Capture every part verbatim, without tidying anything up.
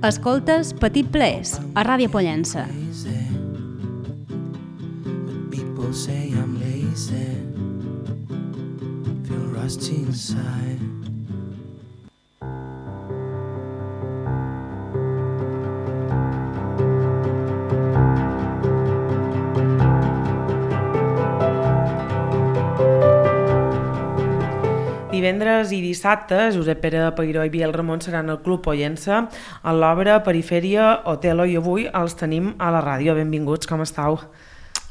Escoltes Petit Plaers, a Ràdio Pollença. People say I'm lazy, feel rusty inside. Divendres i dissabte, Josep Pere Peiró i Biel Ramon seran al Club Pollença a l'obra Perifèria Otelo i avui els tenim a la ràdio. Benvinguts, com estàu?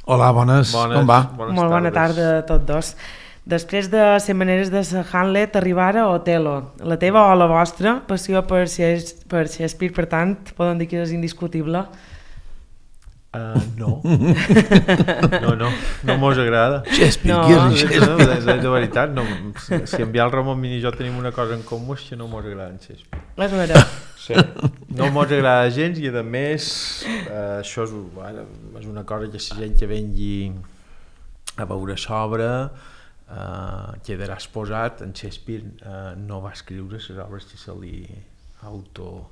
Hola, bones, bones com va? Bones Molt bona tardes. tarda a tots dos. Després de Cent maneres de ser Hamlet, arribar a Otelo. La teva o la vostra passió per Shakespeare, per tant, poden dir que és indiscutible? Uh, no. no, no, no mos agrada. Shakespeare, No. qui és De, Shakespeare? de, de, de veritat, no, si, si en Biel Ramon i jo tenim una cosa en comú és que no mos agrada en Shakespeare. És vera. Sí. No mos agrada gens i a més eh, això és, bueno, és una cosa que si gent que vengui a veure sobre eh, quedarà exposat. En Shakespeare eh, no va escriure les obres que se li auto...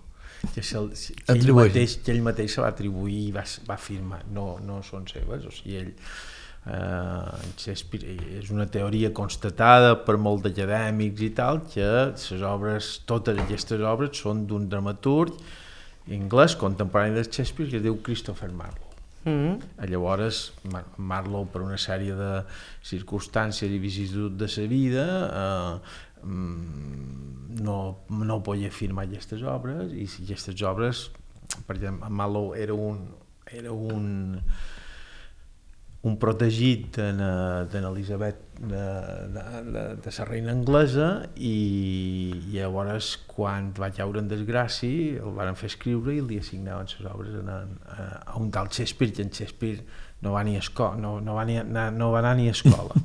que, se, que, ell mateix, que ell mateix se va atribuir i va, va afirmar, no, no són seves, o sigui, ell eh, Shakespeare és una teoria constatada per molts acadèmics i tal, que les obres, totes aquestes obres són d'un dramaturg anglès contemporani de Shakespeare que es diu Christopher Marlowe. Mm-hmm. Llavors Marlowe, per una sèrie de circumstàncies i vicissituds de sa vida, eh, no, no podia firmar aquestes obres, i si aquestes obres, per exemple, Marlowe era un era un un protegit d'Elisabet de, de, de, de la reina anglesa, i llavors quan va caure en desgràcia el van fer escriure i li assignaven les obres a, a, a un tal Shakespeare, que en Shakespeare no va, ni a esco no, no, va, ni a, no va anar ni a escola.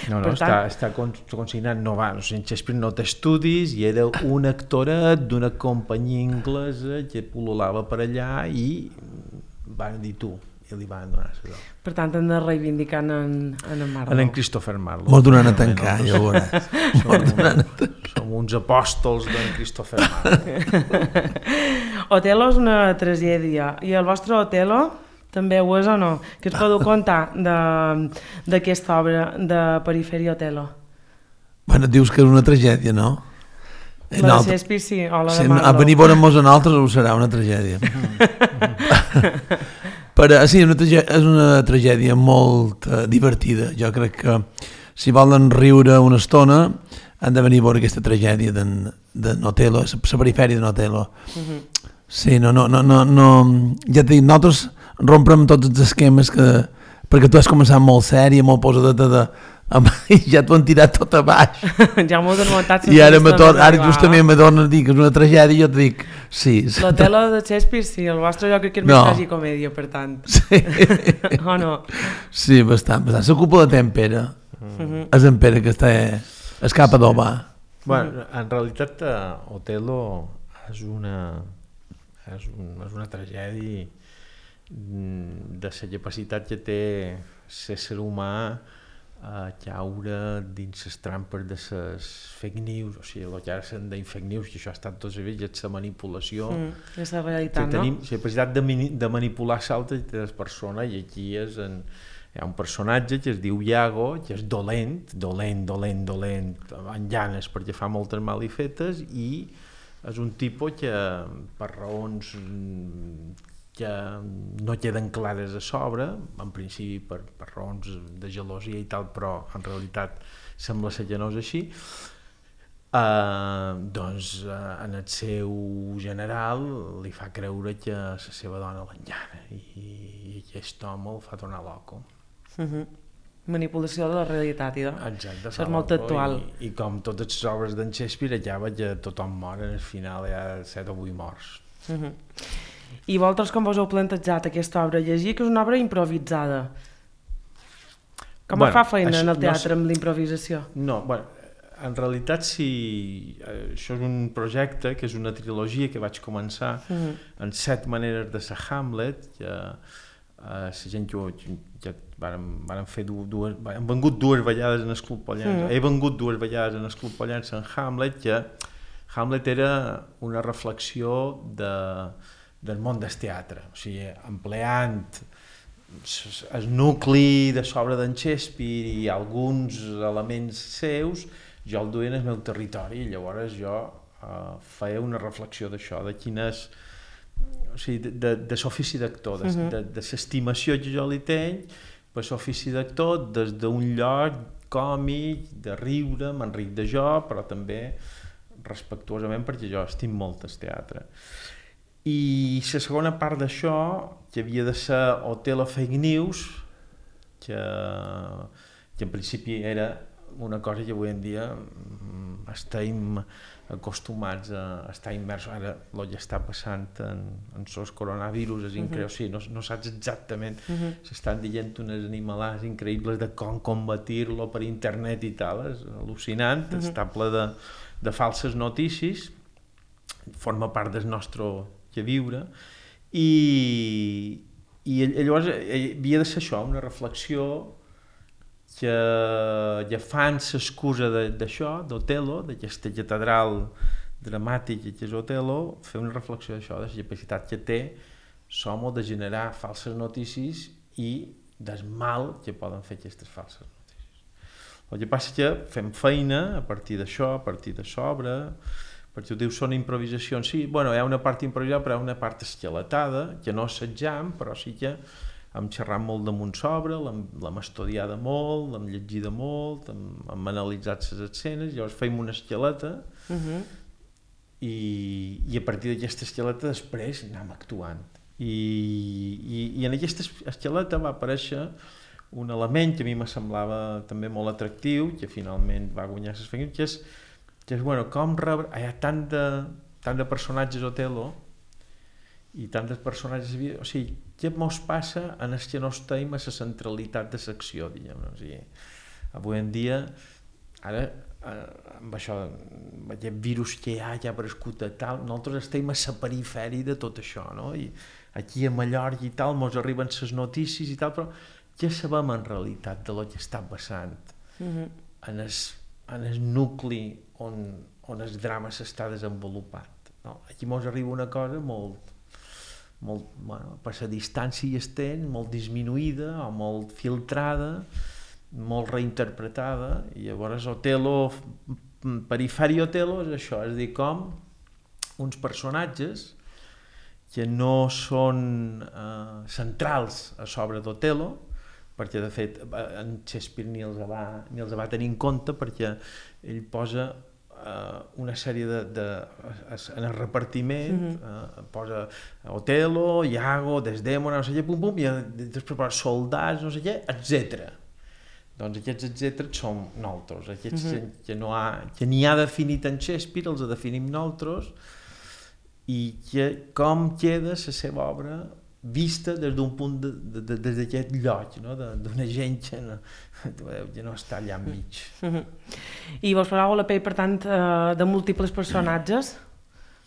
No, no, està, està consignat, no va, o sigui, en Shakespeare no té estudis i era un actoret d'una companyia anglesa que pul·lulava per allà i van dir tu, i li van donar les obres. Per tant, hem de reivindicar en, en Marlowe. En Christopher Marlowe. Molt donant a tancar, ja ho veuràs. Som, som uns apòstols d'en Christopher Marlowe. Otelo és una tragèdia, i el vostre Otelo també ho és o no? Què us podeu contar d'aquesta obra de Perifèria Otelo? Bueno, dius que és una tragèdia, no? La de Shakespeare sí, o la de si Marlowe? A venir veure'm-nos a nosaltres ho serà una tragèdia. Però sí, una tragèdia, és una tragèdia molt uh, divertida. Jo crec que si volen riure una estona han de venir a veure aquesta tragèdia d'en Otelo, la perifèria d'en Otelo. Uh-huh. Sí, no, no, no, no, no, ja t'he dit, nosaltres romprem tots els esquemes que, perquè tu has començat molt sèria, molt posadeta de, i ja t'ho han tirat tot a baix. Ja m'ho he desmuntat. I ara, tor ara justament me tornes a dir que és una tragèdia i jo et dic, sí. L'Otelo de Shakespeare sí, el vostre jo crec que és no. més tragicomèdia, per tant. Sí. O no? Sí, bastant, bastant. La culpa de en Pere. Mm. És en Pere que està escapa d'Obà. Bueno, en realitat Otelo és una és, un, és una tragèdia de la capacitat que té l'ésser humà a caure dins les trampes de les fake news, o sigui, el que ara se'n deien fake news, que això ha estat tots els dies, és la manipulació, mm, és la realitat, no? Tenim la capacitat de, de manipular l'altra persona, i aquí és en, hi ha un personatge que es diu Iago, que és dolent, dolent, dolent, dolent, amb llanes perquè fa moltes malifetes, i és un tipus que per raons que no queden clares a sobre, en principi per, per raons de gelosia i tal, però en realitat sembla ser que no és així, eh, doncs eh, en el seu general li fa creure que la seva dona l'enllana, i, i aquest home el fa tornar loco. Uh-huh. Manipulació de la realitat, i exacte, això és molt actual. I, i com totes les obres d'en Shakespeare acaba que tothom mor, al final hi ha set o vuit morts. Uh-huh. I vosaltres com vos heu plantejat aquesta obra? Llegir que és una obra improvisada. Com bueno, fa feina això, en el teatre no, amb l'improvisació? No, bueno, en realitat sí, això és un projecte que és una trilogia que vaig començar uh-huh. en set maneres de ser Hamlet, que Uh, la gent que, que vàrem, vàrem fer dues, hem vengut dues vegades en el Club Pollença, mm. he vengut dues vegades en el Club Pollença en Hamlet, que Hamlet era una reflexió de, del món del teatre, o sigui, empleant el nucli de sobre d'en Shakespeare i alguns elements seus, jo el duia en el meu territori, i llavors jo uh, feia una reflexió d'això, de quines, o sigui, de, de l'ofici d'actor, de, uh-huh. de, de l'estimació que jo li tenc per l'ofici d'actor, des d'un lloc còmic, de riure, m'enric de jo, però també respectuosament perquè jo estim molt el teatre. I la segona part d'això, que havia de ser Othello Fake News, que, que en principi era una cosa que avui en dia estem acostumats a estar immersos. Ara el que està passant en, en els coronavirus és increïble, uh-huh. o sigui, no, no saps exactament, uh-huh. s'estan dient unes animalades increïbles de com combatir-lo per internet i tal, és al·lucinant, uh-huh. està ple de, de falses notícies, forma part del nostre que viure, i, i llavors havia de ser això, una reflexió que, que fan l'excusa d'això, d'Othello, d'aquesta catedral dramàtica que és Othello, fer una reflexió d'això, de la capacitat que té l'home de generar falses notícies i del mal que poden fer aquestes falses notícies. El que passa que fem feina a partir d'això, a partir de sobre, perquè ho dius, són improvisacions, sí, bueno, hi ha una part improvisada, però hi ha una part esqueletada, que no assajam, però sí que hem xerrat molt damunt sobre, l'hem estudiada molt, l'hem llegida molt, hem, hem analitzat les escenes, llavors fem una esqueleta, uh-huh. i, i a partir d'aquesta esqueleta després anem actuant. I, i, i en aquesta esqueleta va aparèixer un element que a mi me semblava també molt atractiu, que finalment va guanyar les feines, que és que és, bueno, com rebre... Hi ha tant de, tant de personatges Othello i tant de personatges... O sigui, què mos passa en els que no estem a la centralitat de l'acció, diguem. O sigui, avui en dia, ara, amb això, amb aquest virus que hi ha, que ha aparegut a tal, nosaltres estem a la perifèria de tot això, no? I aquí a Mallorca i tal, mos arriben les notícies i tal, però què sabem en realitat de lo que està passant uh-huh. en el en el nucli on, on el drama s'està desenvolupat. No? Aquí ens arriba una cosa molt, molt bueno, per la distància hi estem, molt disminuïda o molt filtrada, molt reinterpretada, i llavors Othello, perifèria Othello és això, és a dir, com uns personatges que no són eh, centrals a sobre d'Othello, perquè de fet en Shakespeare ni els va, ni els va tenir en compte, perquè ell posa uh, una sèrie de, de en el repartiment, mm-hmm. uh, posa Othello, Iago, Desdèmona, no sé què, pum pum, i després posa soldats, no sé què, etcètera. Doncs aquests etcètera som nosaltres, aquests mm-hmm. que, no ha, que ni ha definit en Shakespeare, els definim nosaltres, i que com queda la seva obra vista des d'un punt de, de, de, des d'aquest lloc, no? D'una gent que no, que no està allà enmig. Uh-huh. I vos posàveu la pell, per tant, de múltiples personatges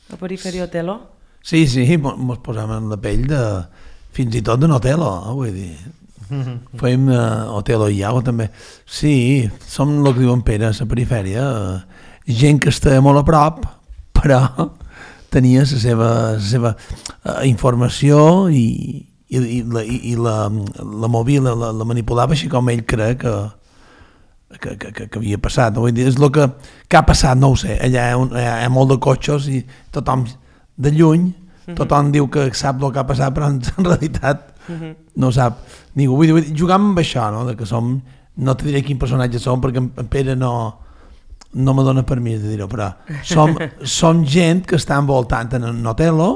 a Perifèria Othello? Sí, sí, mos posàvem en la pell de fins i tot de Othello, eh, vull dir. Fèiem uh, Othello i Iago també. Sí, som el que diu en Pere, a la perifèria, uh, gent que està molt a prop, però tenia la seva, la seva uh, informació i, i, i, la, i, i la, la movia, la, la manipulava així com ell crec que, que, que, que havia passat. No? Vull dir, és el que, que ha passat, no ho sé. Allà hi ha, un, hi ha molt de cotxes i tothom de lluny, tothom diu que sap el que ha passat, però en realitat no sap ningú. Vull dir, vull dir, jugam amb això, no? De que som, no te diré quin personatge som, perquè en Pere no... no me dona permís de dir-ho, però som, som gent que està envoltant en Othello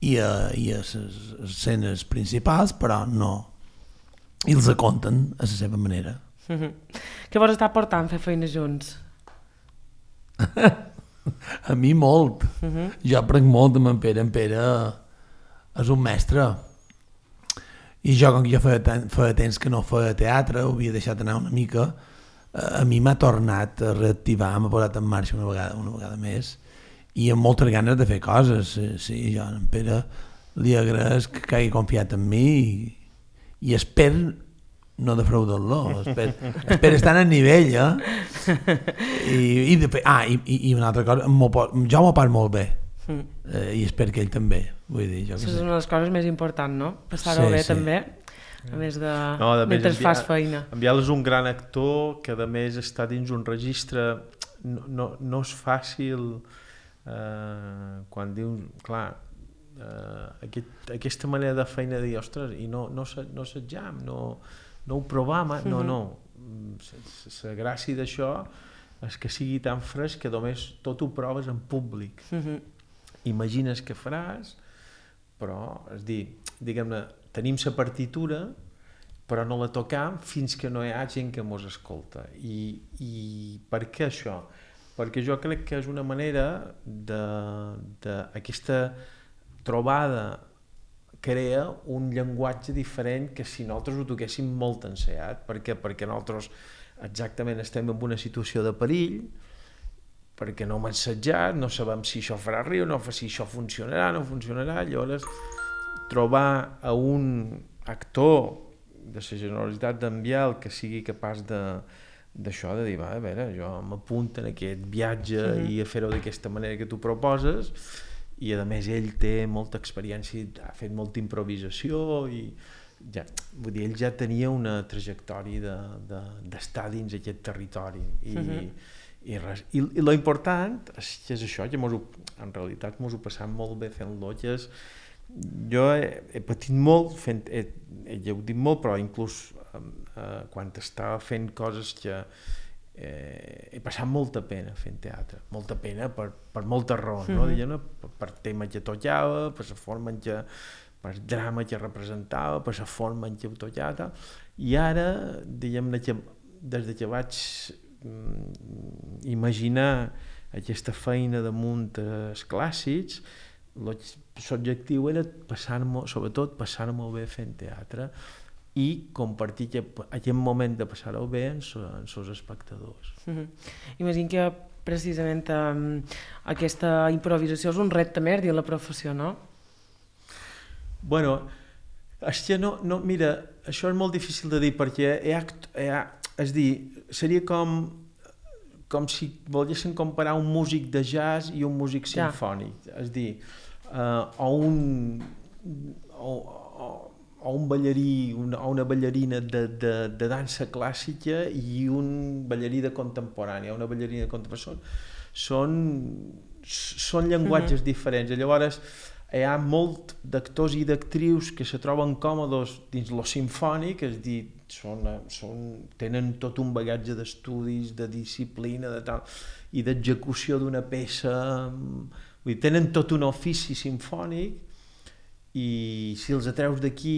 i a, i a les escenes principals, però no, i els aconten a la seva manera. Mm-hmm. Què vos està portant fer feines junts? A mi molt. Mm-hmm. Jo aprenc molt amb en Pere. En Pere és un mestre. I jo, com que jo feia, feia temps que no feia teatre, ho havia deixat anar una mica, a mi m'ha tornat a reactivar, m'ha posat en marxa una vegada, una vegada més, i amb moltes ganes de fer coses. Sí, jo a en Pere li agraeix que hagi confiat en mi i, i espero no defraudar-lo, espera, espera estar al nivell, eh? I, i, de, ah, i, i una altra cosa, jo m'ho pas molt bé, mm. eh, i espero que ell també, vull dir, jo que Això és sé. una de les coses més importants, no? Passar-ho Sí, bé sí. també, a més de... No, a més, mentre en fas Biel- feina. En Biel és un gran actor que a més està dins un registre, no, no, no és fàcil eh, quan dius, clar, eh, aquest, aquesta manera de feina de dir, ostres, i no, no, no assetjam, no, no ho provam, eh? no, no, la gràcia d'això és que sigui tan fresc que només tot ho proves en públic. Uh-huh. Imagines què faràs, però, és dir, diguem-ne, tenim la partitura, però no la tocam fins que no hi ha gent que mos escolta. I, i per què això? Perquè jo crec que és una manera de, de aquesta trobada crea un llenguatge diferent que si nosaltres ho toquéssim molt ensaiat. Per què? Perquè nosaltres exactament estem en una situació de perill, perquè no hem assajat, no sabem si això farà riure, no, si això funcionarà, no funcionarà. Llavors, trobar a un actor de la generositat d'en Biel que sigui capaç de d'això, de dir, va, a veure, jo m'apunto en aquest viatge mm-hmm. i a fer-ho d'aquesta manera que tu proposes, i a més ell té molta experiència, ha fet molta improvisació i ja, vull dir, ell ja tenia una trajectòria de, d'estar de, dins aquest territori i, mm-hmm. i, res, i, i lo important és, és això, que mos ho, en realitat mos ho passam molt bé fent-lo, que és, jo he, he patit molt fent, he, he lleudit molt, però inclús eh, quan estava fent coses que eh, he passat molta pena fent teatre, molta pena per, per moltes raons, no? Mm-hmm. no? Per, per tema que tocava, per la forma en què, per el drama que representava, per la forma en què ho tocava, i ara, diguem-ne que des que vaig mm, imaginar aquesta feina damunt els clàssics, l'objectiu era passar-m'ho, sobretot passar-m'ho bé fent teatre i compartir aquest, aquest moment de passar-ho bé amb els espectadors. Mm-hmm. Imagino que precisament um, aquesta improvisació és un repte més dins la professió, no? Bueno, és que no, no, mira, això és molt difícil de dir perquè hi ha, hi ha, és dir, seria com com si volguessin comparar un músic de jazz i un músic ja. simfònic, és dir, uh, o un o, o, o un ballarí una, o una ballarina de, de, de dansa clàssica i un ballarí de contemporània, una ballarina contemporània, són, són llenguatges mm-hmm. diferents, i llavors hi ha molt d'actors i d'actrius que se troben còmodes dins lo simfònic, és dir, són, són, tenen tot un bagatge d'estudis, de disciplina, de tal, i d'execució d'una peça, vull dir, tenen tot un ofici simfònic, i si els atreus d'aquí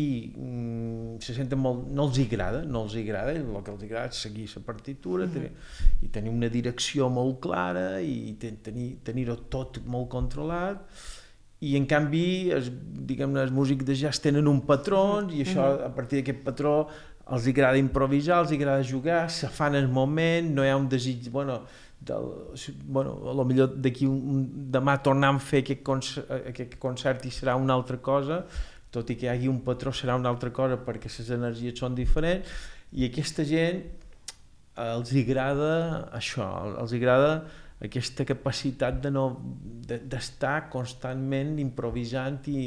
se senten molt, no els agrada, no els agrada, el que els agrada és seguir la partitura, mm-hmm. tenir, i tenir una direcció molt clara, i tenir, tenir-ho tot molt controlat, i en canvi, es, diguem-ne, els músics de jazz tenen un patró, i això, a partir d'aquest patró, els agrada improvisar, els agrada jugar, se fan el moment, no hi ha un desig, bueno, del, bueno, a lo millor d'aquí un, un, demà tornam a fer aquest concert, aquest concert i serà una altra cosa, tot i que hi hagi un patró serà una altra cosa perquè les energies són diferents, i aquesta gent els agrada això, els agrada aquesta capacitat de no, de, d'estar constantment improvisant i,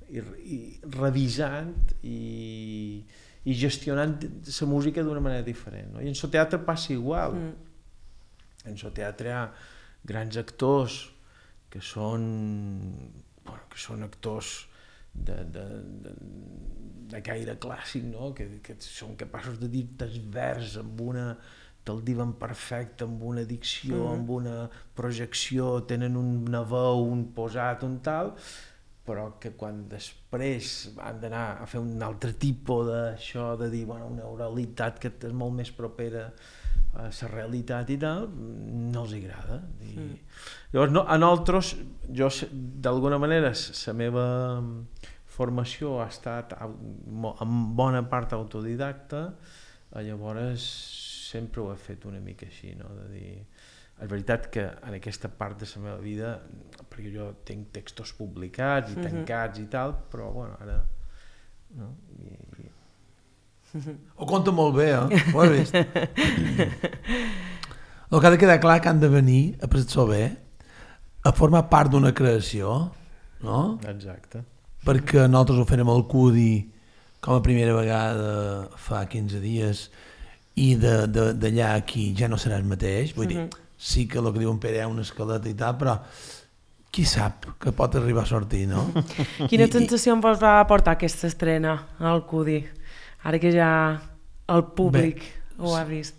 i, i revisant i, i gestionant la música d'una manera diferent, no? I en el teatre passa igual. Mm. En el teatre hi ha grans actors que són, bueno, que són actors de, de, de, de gaire clàssic, no? que, que són capaços de dir el vers amb una te'l diuen perfecte, amb una dicció, mm. amb una projecció, tenen una veu, un posat, un tal, però que quan després han d'anar a fer un altre tipus d'això, de dir, bueno, una oralitat que és molt més propera a la realitat i tal, no els agrada. I... Mm. Llavors, no, a nosaltres, jo, d'alguna manera, la meva formació ha estat en bona part autodidacta, llavors sempre ho he fet una mica així, no? De dir, és veritat que en aquesta part de la meva vida, perquè jo tinc textos publicats i tancats mm-hmm. i tal, però bueno, ara no? I, i... Ho conta molt bé, eh? Ho has vist? El que ha de quedar clar que han de venir a passar-s'ho bé, a formar part d'una creació, no? Exacte. Perquè nosaltres ho fèrem al Cudi com a primera vegada fa quinze dies i d'allà aquí ja no serà el mateix. Vull dir, sí que el que diu en Pere hi ha una escaleta i tal, però qui sap que pot arribar a sortir, no? Quina I, sensació em va portar aquesta estrena al Cudi? Ara que ja el públic bé, ho ha vist.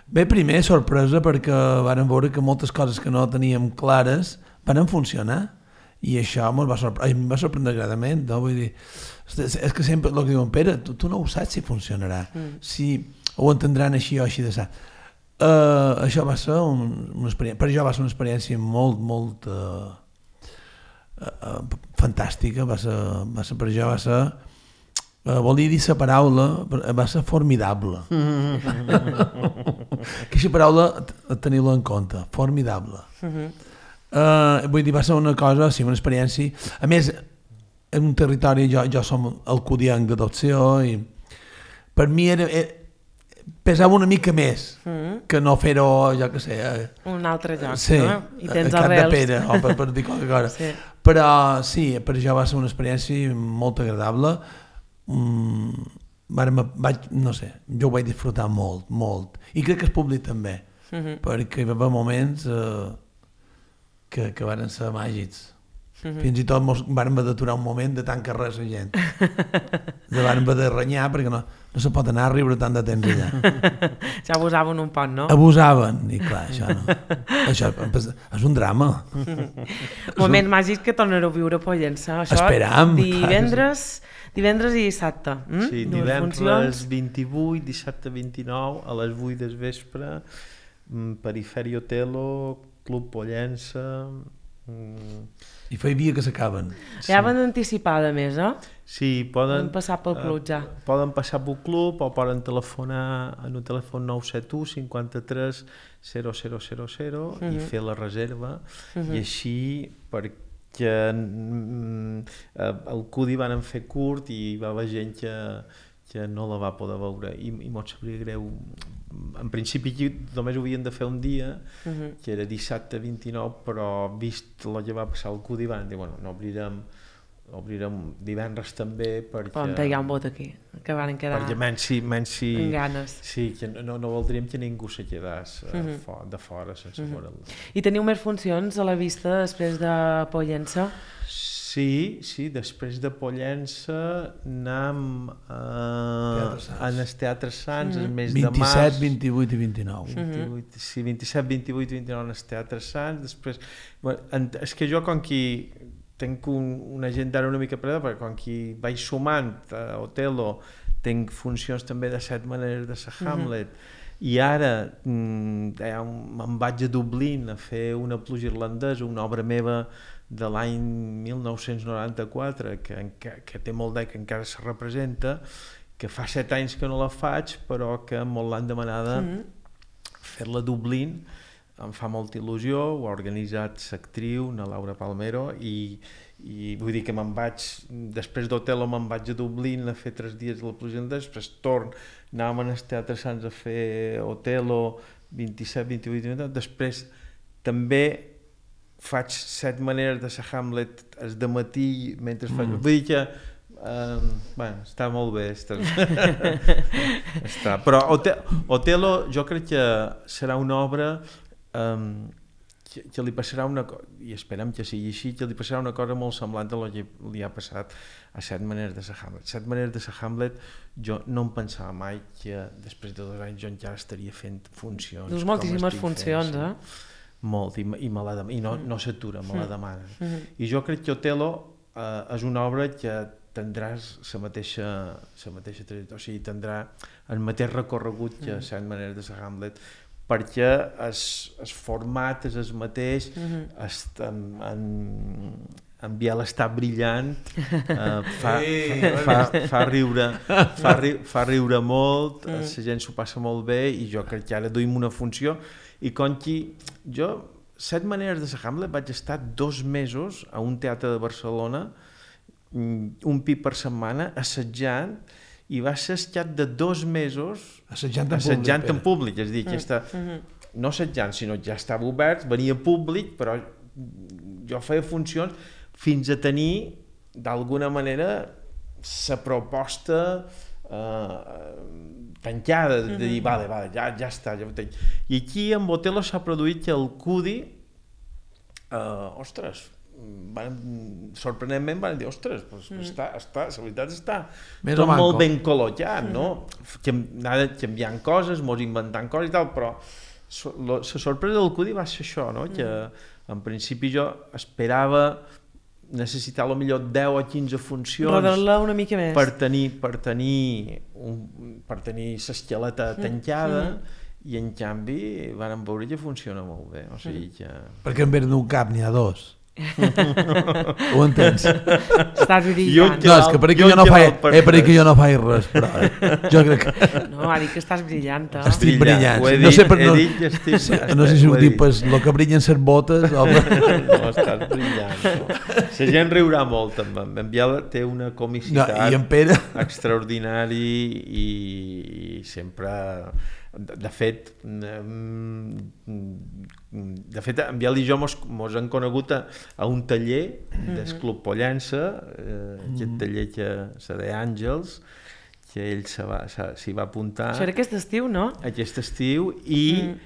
Bé, primer, sorpresa, perquè vàrem veure que moltes coses que no teníem clares van funcionar i això em va, sorpre em va sorprendre gradament, no? Vull dir, és, és que sempre el que diuen, Pere, tu, tu no ho saps si funcionarà, mm. si ho entendran així o així de sa. Uh, això va ser un, una experiència, per jo va ser una experiència molt, molt uh, uh, fantàstica, va ser, va ser per jo, va ser, uh, volia dir la paraula, va ser formidable. Aquesta paraula, teniu-la en compte, formidable. Uh, vull dir, va ser una cosa, sí, una experiència, a més, en un territori, jo, jo som el cudienc d'adopció i per mi era, era pesava una mica més mm. que no fer-ho, jo què sé... Eh, un altre lloc, sí, no? I tens a Cap arrels. de Pere, o per, per dir qualque cosa. Sí. Però sí, per jo va ser una experiència molt agradable. Mm, vaig, no sé, jo ho vaig disfrutar molt, molt. I crec que el públic també, mm-hmm. perquè hi va haver moments eh, que, que van ser màgics. Mm-hmm. Fins i tot mos vam haver d'aturar un moment de tant que res la gent. De vam haver de renyar perquè no, no se pot anar a riure tant de temps allà. Ja abusaven un poc, no? Abusaven, i clar, això no. Això és un drama. Moment màgic que tornareu a viure a Pollença. Això Esperam. Divendres, divendres i dissabte. Mm? Sí, divendres vint-i-vuit, dissabte vint-i-nou, a les vuit del vespre, Periferi Otelo, Club Pollença... Mm. I fa dia que s'acaben. Ja van anticipada més, eh? Sí, poden... Poden passar pel club, ja. Uh, poden passar pel club o poden telefonar en un telèfon nou set u cinquanta-tres zero zero zero zero uh-huh. i fer la reserva. Uh-huh. I així, perquè mm, el Cudi van fer curt i hi va haver gent que, que no la va poder veure. I, i m'ho sabria greu. En principi només ho havien de fer un dia, uh-huh. que era dissabte vint-i-nou, però vist el que va passar al Cudi van dir, bueno, no obrirem, obrirem divendres també perquè... Poden pegar un vot aquí, que van quedar perquè menys si, menys si, amb ganes. Sí, que no, no voldríem que ningú se quedés uh-huh. for, de fora sense uh-huh. veure-la. I teniu més funcions a la vista després de Pollença? Sí, sí, després de Pollença anam eh, en els Teatres Sants el mes de març. vint-i-set, vint-i-vuit i vint-i-nou. vint-i-vuit, sí, vint-i-set, vint-i-vuit i vint-i-nou en els Teatres Sants. Després, bueno, en, és que jo com qui tinc un, una agenda una mica preda, perquè com qui vaig sumant a Otelo, tinc funcions també de Set maneres de ser Hamlet, uh-huh. i ara mm, me'n vaig a Dublín a fer una pluja irlandesa, una obra meva de l'any mil nou-cents noranta-quatre, que, que, que té molt d'any, que encara se representa, que fa set anys que no la faig, però que molt l'han demanada mm-hmm. fer-la a Dublín, em fa molta il·lusió, ho ha organitzat l'actriu, na Laura Palmero, i, i vull dir que me'n vaig, després d'Otelo me'n vaig a Dublín a fer tres dies de la pluja irlandesa, després torn, anàvem als Teatres Sants a fer Otelo, vint-i-set, vint-i-vuit, vint-i-nou, després també faig set maneres de ser Hamlet el de matí mentre faig... Mm. Vull dir que uh, bueno, està molt bé està... està. Però Otelo jo crec que serà una obra um, que, que li passarà una cosa, i esperem que sigui així, que li passarà una cosa molt semblant a el que li ha passat a set maneres de ser Hamlet. Set maneres de ser Hamlet, jo no em pensava mai que després de dos anys jo encara estaria fent funcions. Dus moltíssimes funcions, fent, eh? Molt, i, i, me la dem- i no, Mm. no s'atura, me la demanen. Mhm. I jo crec que Otelo eh, és una obra que tindràs la mateixa, la mateixa trajectòria, o sigui, tindrà el mateix recorregut que Set maneres de ser Hamlet, perquè el, el format és el mateix, Mhm. est, en, en, en Biel està brillant, eh, fa, Ei, fa, fa, fa, riure, fa, ri, fa riure molt, la gent s'ho passa molt bé i jo crec que ara duim una funció i com qui, jo, Set maneres de ser Hamlet vaig estar dos mesos a un teatre de Barcelona, un pi per setmana, assajant, i va ser assetjat de dos mesos Assetjant en assetjant públic, en públic, és a dir, que està, no assetjant, sinó ja estava obert, venia públic, però jo feia funcions fins a tenir, d'alguna manera, la proposta eh, tancada, de dir, vale, vale, ja, ja està, ja ho tenc. I aquí en Otelo s'ha produït que el Cudi, eh, ostres, van, sorprenentment van dir, ostres, pues, mm. està, està, la veritat està Més tot molt manco. ben col·locat, no? Que anava canviant coses, mos inventant coses i tal, però so, lo, la sorpresa del Cudi va ser això, no? Que en principi jo esperava necessitar a lo millor deu o quinze funcions rodar-la una mica més per tenir, per tenir, un, per tenir l'esqueleta tancada mm. i en canvi vàrem veure que funciona molt bé, o sigui que... Perquè en vez d'un cap n'hi ha dos. Ho entens? Estàs Jo brillant. No, és que per aquí jo, jo no faig eh, per aquí jo no faig res, però jo crec que... No, ha dit que estàs brillant, eh? Estic brillant. Ho he No dit, sé per he no, dit que estic, estic, no sé si ho he dic, dit. pues, lo que brillen ser botes o... No, estàs brillant. No. La gent riurà molt amb en en Biel té una No, comicitat i en Pere... extraordinari i, i sempre... De, de fet, de fet, en Biel i jo mos, mos hem conegut a, a un taller del Club Pollença, eh, aquest taller que se deia Àngels, que ell s'hi va, s'hi va apuntar Això era aquest estiu, no? aquest estiu i, mm.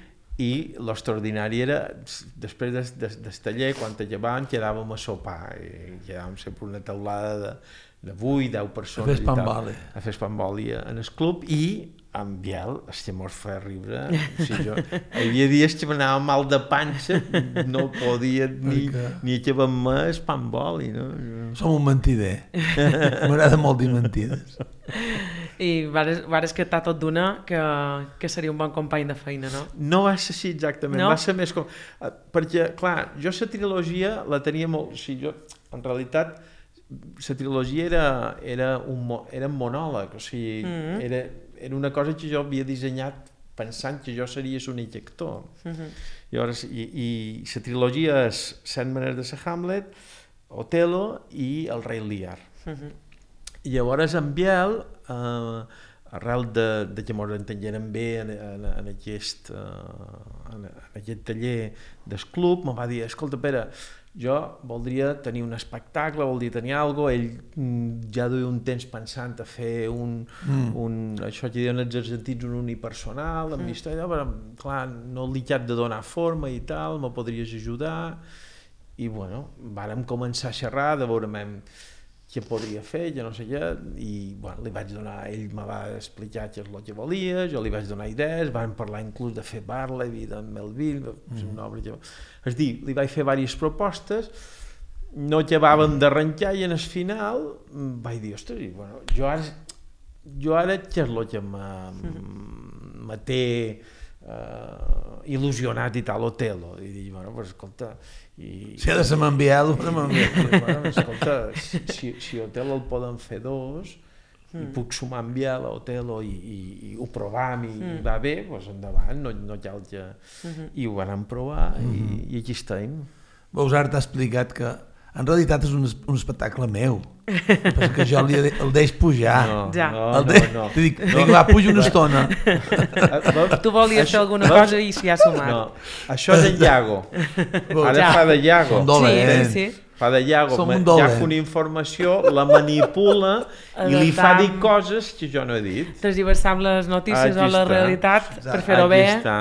i l'extraordinari era, després del, del, del taller, quan acabàvem, quedàvem a sopar i quedàvem sempre una taulada de, de vuit, deu persones A fer espamboli. a fer espamboli en el club i en Biel, és que mos feia riure, o sigui, jo, hi havia dies que m'anava mal de panxa, no podia ni, ni acabar-me espamboli, no? Som un mentider. M'agrada molt dir mentides. I vares, vares que t'ha tot d'una que, que seria un bon company de feina, no? No va ser així exactament, No? va ser més com... Perquè, clar, jo la trilogia la tenia molt... O sigui, jo, en realitat, la trilogia era, era, un, mo- era un monòleg, o sigui, Mm. era, era una cosa que jo havia dissenyat pensant que jo seria l'únic actor. Mhm. Llavors, i, i la trilogia és Set maneres de ser Hamlet, Otelo i El rei Lear. Mhm. I llavors en Biel, eh, arrel de, de que ens entenguérem bé en, en, en, aquest, eh, en, en aquest taller del club, me va dir, escolta Pere, jo voldria tenir un espectacle, voldria tenir alguna cosa, ell mm, ja duia un temps pensant a fer un, mm. un això que diuen els argentins, un unipersonal, amb mm. història, però clar, no li cap de donar forma i tal, me podries ajudar, i bueno, vàrem començar a xerrar, de veure què podria fer, ja no sé què, i bueno, li vaig donar, ell me va explicar què és el que volia, jo li vaig donar idees, vam parlar inclús de fer Barleby, de Melville, mm. una obra que... És dir, li vaig fer diverses propostes, no acabàvem d'arrencar i en el final vaig dir, ostres, i, bueno, jo ara, jo ara què és el que me, me té uh, il·lusionat i tal, Otelo, i dic, bueno, pues escolta, i, Si ha de ser m'enviar-lo, però m'enviar-lo. bueno, escolta, si, si, si Otelo el poden fer dos, mm. i puc sumar en Biel a Otelo i, i, i ho provam i, mm. i va bé, doncs endavant, no, no cal que... Mm-hmm. I ho vam provar mm-hmm. i, i aquí estem. Bausart t'ha explicat que en realitat és un, es- un espectacle meu, perquè jo li, de- el deix pujar. No, Ja. no, el de... no, no. Li dic, no. dic, va, puja una estona. Tu volies fer alguna veus? cosa i s'hi ha sumat. No, això és en Iago. Ara Ja. fa de Iago. Són dolents. Sí, sí, sí. Fa de Iago, Som me- un ja dolent. fa una informació, la manipula i li fa Adaptant. dir coses que jo no he dit. Transversar amb les notícies Aquí o la està. realitat per Exacte. fer-ho bé, Aquí està.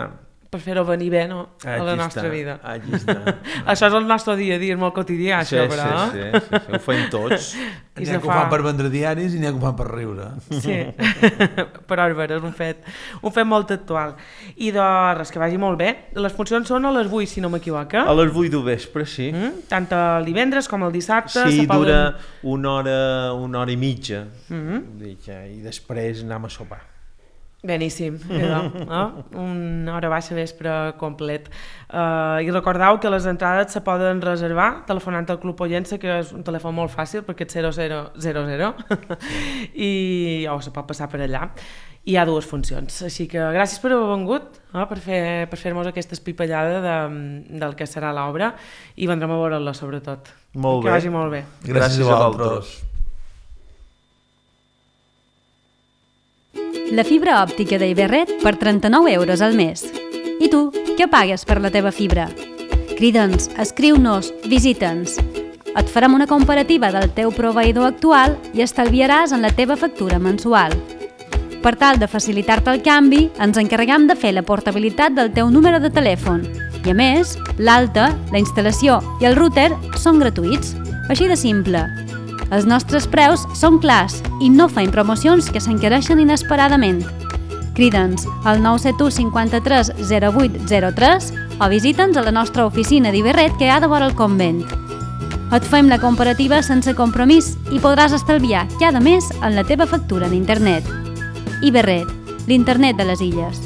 per fer-ho venir bé, no? A la Aquí nostra està. vida. Aquí està. Això és el nostre dia a dia, és molt quotidià, Sí, això, sí, però... sí, sí, sí, ho fem tots. I N'hi se ha que ho fa- fan per vendre diaris i n'hi ha que ho fan per riure. Sí, però és vera, és un fet, un fet molt actual. I de res, que vagi molt bé. Les funcions són a les vuit, si no m'equivoco. A les vuit del vespre, sí. Mm? Tant el divendres com el dissabte. Sí, se poden- dura una hora, una hora i mitja. Mhm. Vull dir que- I després anem a sopar. Beníssim, idò, no? Una hora baixa vespre complet. Uh, I recordeu que les entrades se poden reservar telefonant al Club Pollença, que és un telèfon molt fàcil perquè és zero zero zero zero i o se pot passar per allà. I hi ha dues funcions, així que gràcies per haver vengut, no? per fer per fer-nos aquesta espipallada de, del que serà l'obra i vendrem a veure-la sobretot. Molt que bé. vagi molt bé. Gràcies a vosaltres. la fibra òptica d'Iberret per trenta-nou euros al mes. I tu, què pagues per la teva fibra? Crida'ns, escriu-nos, visita'ns. Et farem una comparativa del teu proveïdor actual i estalviaràs en la teva factura mensual. Per tal de facilitar-te el canvi, ens encarreguem de fer la portabilitat del teu número de telèfon. I a més, l'alta, la instal·lació i el router són gratuïts. Així de simple. Els nostres preus són clars i no feim promocions que s'encareixen inesperadament. Crida'ns al nou set u cinquanta-tres zero vuit zero tres o visita'ns a la nostra oficina d'Iberret que hi ha de vora el convent. Et fem la comparativa sense compromís i podràs estalviar cada mes en la teva factura d'internet. Iberret, l'internet de les illes.